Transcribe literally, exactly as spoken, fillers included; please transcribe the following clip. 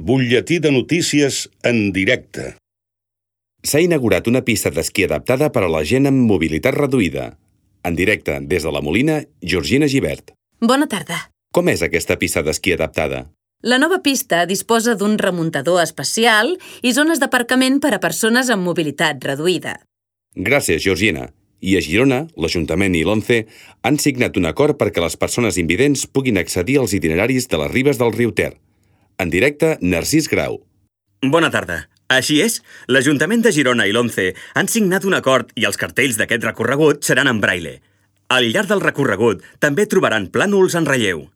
Butlletí de notícies en directe. S'ha inaugurat una pista d'esquí adaptada per a la gent amb mobilitat reduïda. En directe, des de la Molina, Georgina Gibert. Bona tarda. Com és aquesta pista d'esquí adaptada? La nova pista disposa d'un remuntador especial i zones d'aparcament per a persones amb mobilitat reduïda. Gràcies, Georgina. I a Girona, l'Ajuntament i l'ONCE han signat un acord perquè les persones invidents puguin accedir als itineraris de les ribes del riu Ter. En directe, Narcís Grau. Bona tarda. Així és, l'Ajuntament de Girona i l'ONCE han signat un acord i els cartells d'aquest recorregut seran en braille. Al llarg del recorregut també trobaran plànols en relleu.